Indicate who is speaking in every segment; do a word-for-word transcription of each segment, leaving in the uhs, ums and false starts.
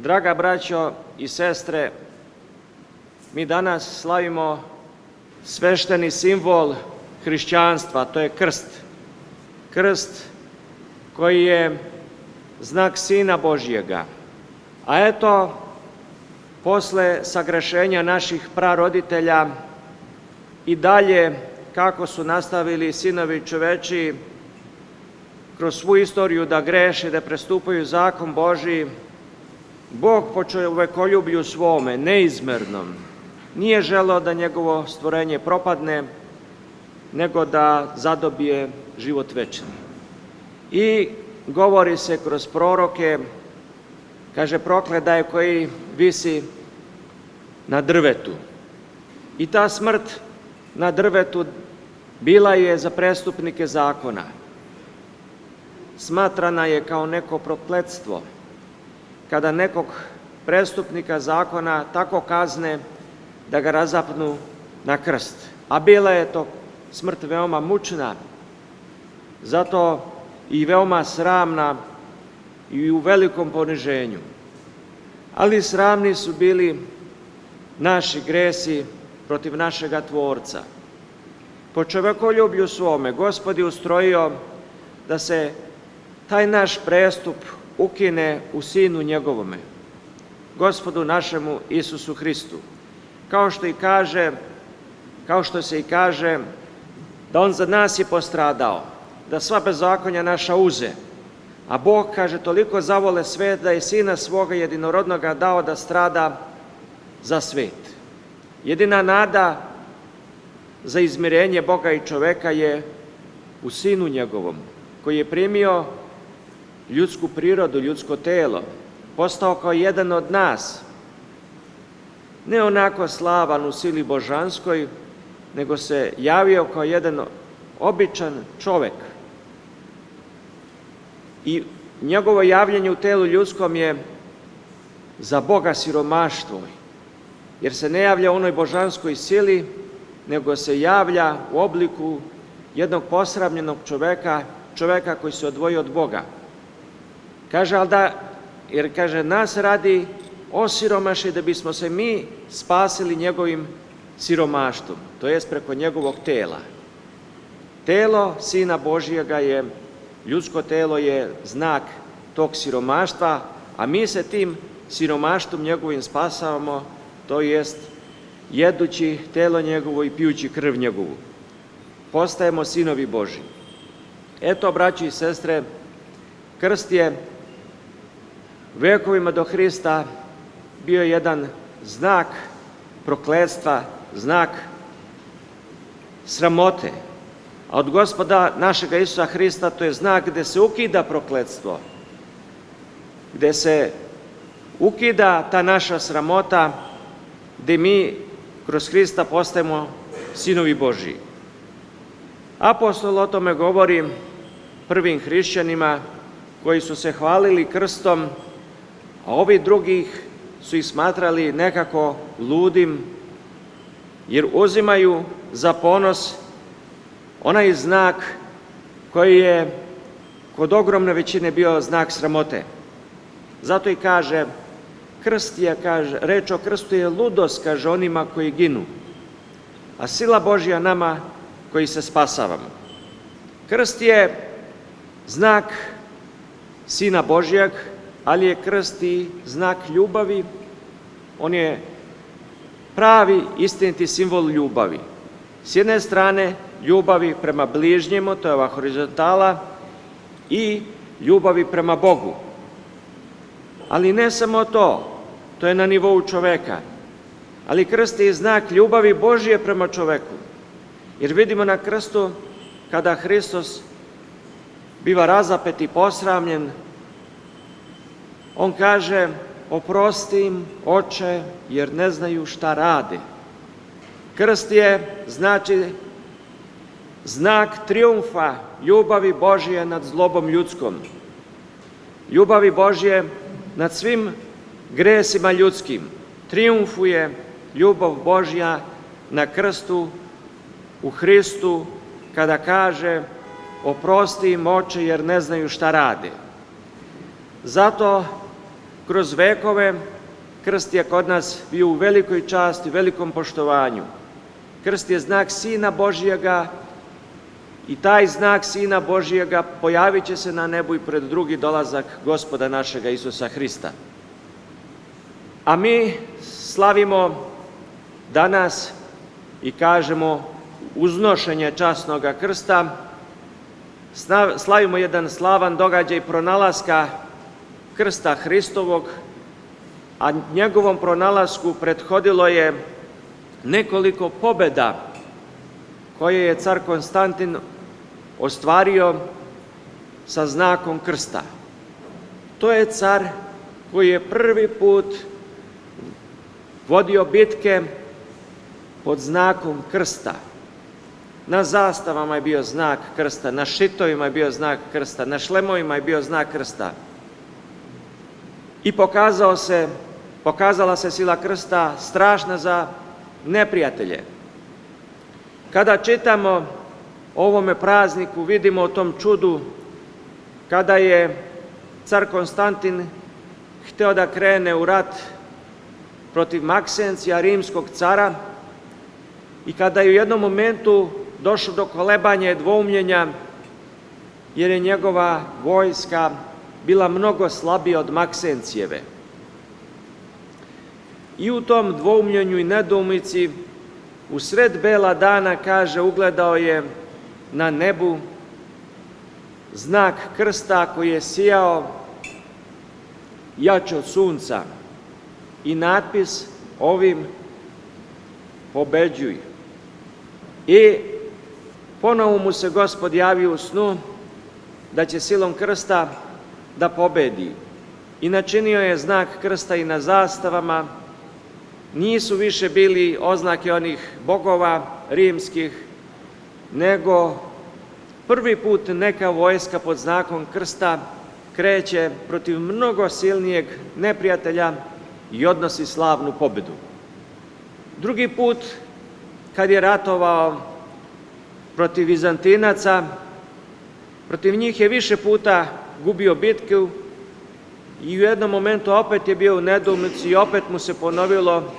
Speaker 1: Draga braćo i sestre, mi danas slavimo svešteni simbol hrišćanstva, to je krst. Krst koji je znak Sina Božjega. A eto, posle sagrešenja naših praroditelja i dalje, kako su nastavili sinovi čovečiji kroz svu istoriju da greše, da prestupaju zakon Božji, Bog po čovekoljublju svome, neizmernom, nije želeo da njegovo stvorenje propadne, nego da zadobije život večni. I govori se kroz proroke, kaže, proklet da je koji visi na drvetu. I ta smrt na drvetu bila je za prestupnike zakona. Smatrana je kao neko prokletstvo, kada nekog prestupnika zakona tako kazne da ga razapnu na krst. A bila je to smrt veoma mučna, zato i veoma sramna i u velikom poniženju. Ali sramni su bili naši gresi protiv našega Tvorca. Po čovekoljublju svome Gospod je ustrojio da se taj naš prestup ukine u Sinu njegovome, Gospodu našemu Isusu Hristu. Kao što i kaže, kao što se i kaže, da on za nas je postradao, da sva bezakonja naša uze. A Bog, kaže, toliko zavole svet da je Sina svoga jedinorodnoga dao da strada za svet. Jedina nada za izmirenje Boga i čoveka je u Sinu njegovom, koji je primio ljudsku prirodu, ljudsko telo, postao kao jedan od nas, ne onako slavan u sili božanskoj, nego se javio kao jedan običan čovek. I njegovo javljanje u telu ljudskom je za Boga siromaštvo, jer se ne javlja u onoj božanskoj sili, nego se javlja u obliku jednog posramljenog čoveka, čoveka koji se odvojio od Boga. Kaže, ali da, jer kaže, nas radi osiromaši da bismo se mi spasili njegovim siromaštvom, to jest preko njegovog tela. Telo Sina Božjega je, ljudsko telo je znak tog siromaštva, a mi se tim siromaštvom njegovim spasavamo, to jest jedući telo njegovo i pijući krv njegovu. Postajemo sinovi Božji. Eto, braći i sestre, krst je vekovima do Hrista bio jedan znak prokletstva, znak sramote. A od Gospoda našega Isusa Hrista to je znak gde se ukida prokletstvo, gde se ukida ta naša sramota, gde mi kroz Hrista postajemo sinovi Božji. Apostol o tome govori prvim hrišćanima koji su se hvalili krstom, a ovi drugih su ih smatrali nekako ludim, jer uzimaju za ponos onaj znak koji je kod ogromne većine bio znak sramote. Zato i kaže, krst je, kaže, reč o krstu je ludost, kaže, onima koji ginu, a sila Božja nama koji se spasavamo. Krst je znak Sina Božjeg, ali je krst i znak ljubavi. On je pravi, istiniti simbol ljubavi. S jedne strane, ljubavi prema bližnjemu, to je ova horizontala, i ljubavi prema Bogu. Ali ne samo to, to je na nivou čoveka, ali krst je znak ljubavi Božje prema čoveku. Jer vidimo na krstu, kada Hristos biva razapet i posramljen, on kaže, oprosti im, Oče, jer ne znaju šta rade. Krst je, znači, znak trijumfa ljubavi Božje nad zlobom ljudskom, ljubavi Božje nad svim gresima ljudskim. Trijumfuje ljubav Božja na krstu u Hristu, kada kaže, oprosti im, Oče, jer ne znaju šta rade. Zato kroz vekove krst je kod nas bio u velikoj časti, velikom poštovanju. Krst je znak Sina Božjega i taj znak Sina Božjega pojavit će se na nebu i pred drugi dolazak Gospoda našega Isusa Hrista. A mi slavimo danas i kažemo uznošenje časnoga krsta, slavimo jedan slavan događaj pronalaska krsta Hristovog, a njegovom pronalasku prethodilo je nekoliko pobeda koje je car Konstantin ostvario sa znakom krsta. To je car koji je prvi put vodio bitke pod znakom krsta. Na zastavama je bio znak krsta, na šitovima je bio znak krsta, na šlemovima je bio znak krsta. I pokazao se, pokazala se sila krsta strašna za neprijatelje. Kada čitamo o ovome prazniku, vidimo o tom čudu kada je car Konstantin hteo da krene u rat protiv Maksencija, rimskog cara, i kada je u jednom momentu došlo do kolebanja i dvoumljenja, jer je njegova vojska bila mnogo slabija od Maksencijeve. I u tom dvoumljenju i nedoumici, u sred bela dana, kaže, ugledao je na nebu znak krsta koji je sijao jače od sunca i natpis ovim: pobeđuj. I ponovo mu se Gospod javio u snu da će silom krsta da pobedi. I načinio je znak krsta i na zastavama. Nisu više bili oznake onih bogova rimskih, nego prvi put neka vojska pod znakom krsta kreće protiv mnogo silnijeg neprijatelja i odnosi slavnu pobedu. Drugi put, kad je ratovao protiv Vizantinaca, protiv njih je više puta gubio bitku i u jednom momentu opet je bio u nedoumici i opet mu se ponovilo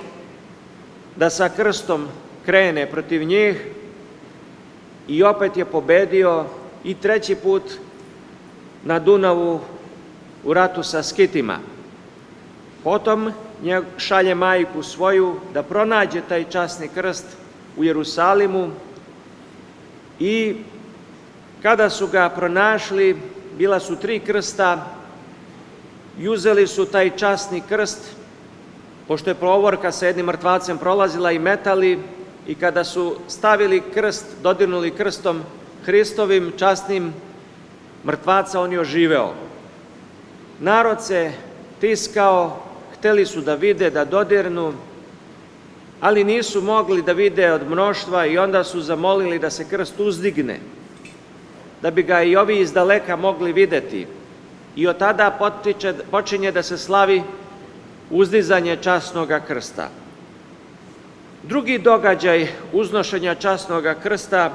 Speaker 1: da sa krstom krene protiv njih i opet je pobedio, i treći put na Dunavu u ratu sa Skitima. Potom šalje majku svoju da pronađe taj časni krst u Jerusalimu, i kada su ga pronašli, bila su tri krsta i uzeli su taj časni krst, pošto je provorka sa jednim mrtvacem prolazila, i metali, i kada su stavili krst, dodirnuli krstom Hristovim časnim mrtvaca, on je oživeo. Narod se tiskao, hteli su da vide, da dodirnu, ali nisu mogli da vide od mnoštva, i onda su zamolili da se krst uzdigne, da bi ga i ovi iz daleka mogli videti. I od tada potiče, počinje da se slavi uzdizanje časnoga krsta. Drugi događaj uznošenja časnoga krsta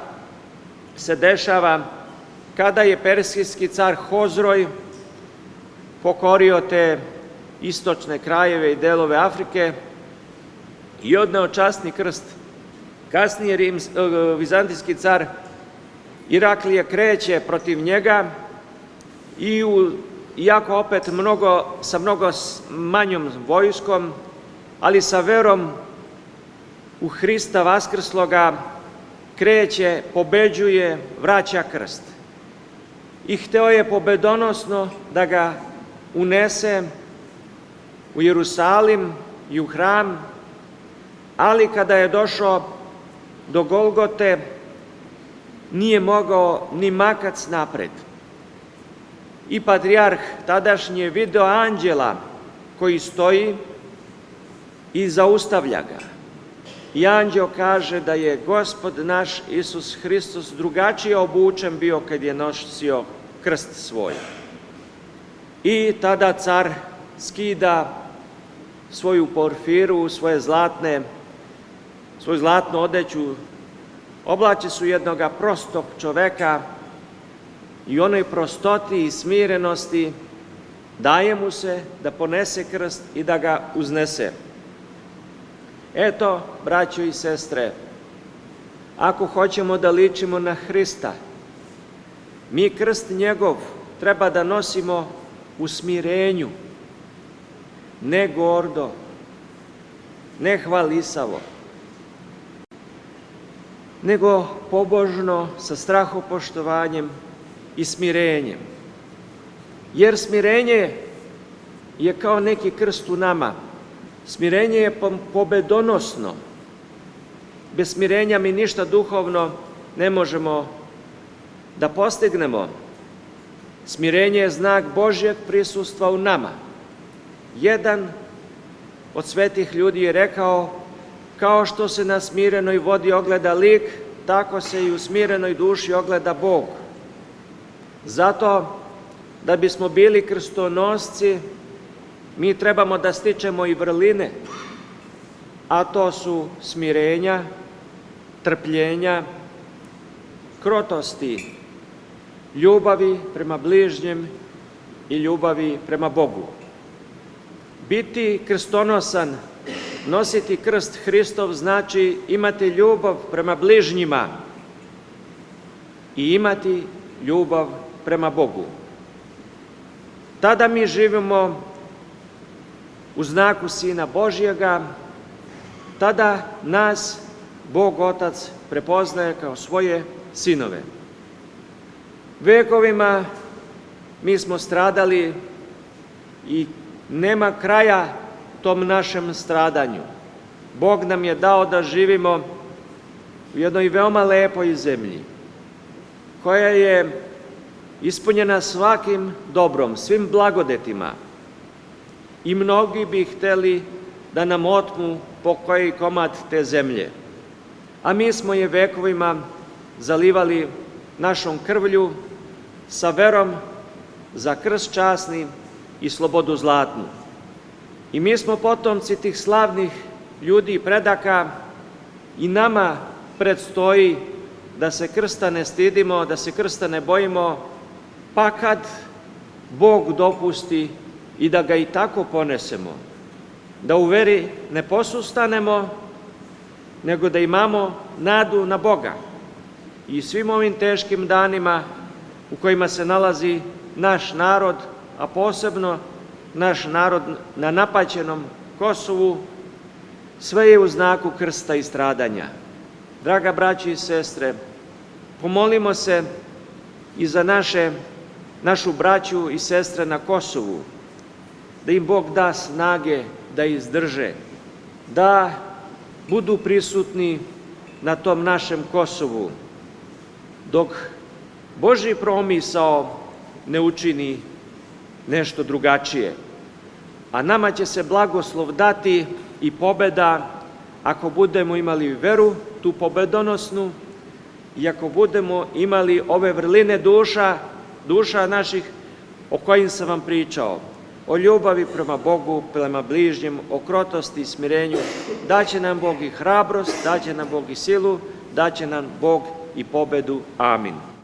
Speaker 1: se dešava kada je persijski car Hozroj pokorio te istočne krajeve i delove Afrike i odneo časni krst. Kasnije rims, vizantijski car Iraklije kreće protiv njega i u, iako opet mnogo, sa mnogo manjom vojskom, ali sa verom u Hrista vaskrsloga, kreće, pobeđuje, vraća krst. I hteo je pobedonosno da ga unese u Jerusalim i u hram, ali kada je došao do Golgote, nije mogao ni makac napred. I patrijarh tadašnji je video anđela koji stoji i zaustavlja ga. I anđeo kaže da je Gospod naš Isus Hristos drugačije obučen bio kad je nosio krst svoj. I tada car skida svoju porfiru, svoje zlatne, svoju zlatnu odeću, oblači su jednoga prostog čoveka i onoj prostoti i smirenosti daje mu se da ponese krst i da ga uznese. Eto, braćo i sestre, ako hoćemo da ličimo na Hrista, mi krst njegov treba da nosimo u smirenju, ne gordo, ne hvalisavo, nego pobožno, sa strahopoštovanjem i smirenjem. Jer smirenje je kao neki krst u nama. Smirenje je pobedonosno. Bez smirenja mi ništa duhovno ne možemo da postignemo. Smirenje je znak Božjeg prisustva u nama. Jedan od svetih ljudi je rekao, kao što se na smirenoj vodi ogleda lik, tako se i u smirenoj duši ogleda Bog. Zato, da bismo bili krstonosci, mi trebamo da stičemo i vrline, a to su smirenja, trpljenja, krotosti, ljubavi prema bližnjem i ljubavi prema Bogu. Biti krstonosan, nositi krst Hristov znači imati ljubav prema bližnjima i imati ljubav prema Bogu. Tada mi živimo u znaku Sina Božjega, tada nas Bog Otac prepoznaje kao svoje sinove. Vekovima mi smo stradali i nema kraja tom našem stradanju. Bog nam je dao da živimo u jednoj veoma lepoj zemlji, koja je ispunjena svakim dobrom, svim blagodetima. I mnogi bi hteli da nam otmu po koji komad te zemlje. A mi smo je vekovima zalivali našom krvlju, sa verom za krst časni i slobodu zlatnu. I mi smo potomci tih slavnih ljudi i predaka, i nama predstoji da se krsta ne stidimo, da se krsta ne bojimo, pa kad Bog dopusti i da ga i tako ponesemo, da u veri ne posustanemo, nego da imamo nadu na Boga. I svim ovim teškim danima u kojima se nalazi naš narod, a posebno naš narod na napaćenom Kosovu, sve je u znaku krsta i stradanja. Draga braći i sestre, pomolimo se i za naše, našu braću i sestre na Kosovu, da im Bog da snage da izdrže, da budu prisutni na tom našem Kosovu, dok Božji promisao ne učini nešto drugačije. A nama će se blagoslov dati i pobeda ako budemo imali veru, tu pobedonosnu, i ako budemo imali ove vrline duša, duša naših o kojim sam vam pričao, o ljubavi prema Bogu, prema bližnjem, o krotosti i smirenju. Daće nam Bog i hrabrost, daće nam Bog i silu, daće nam Bog i pobedu. Amin.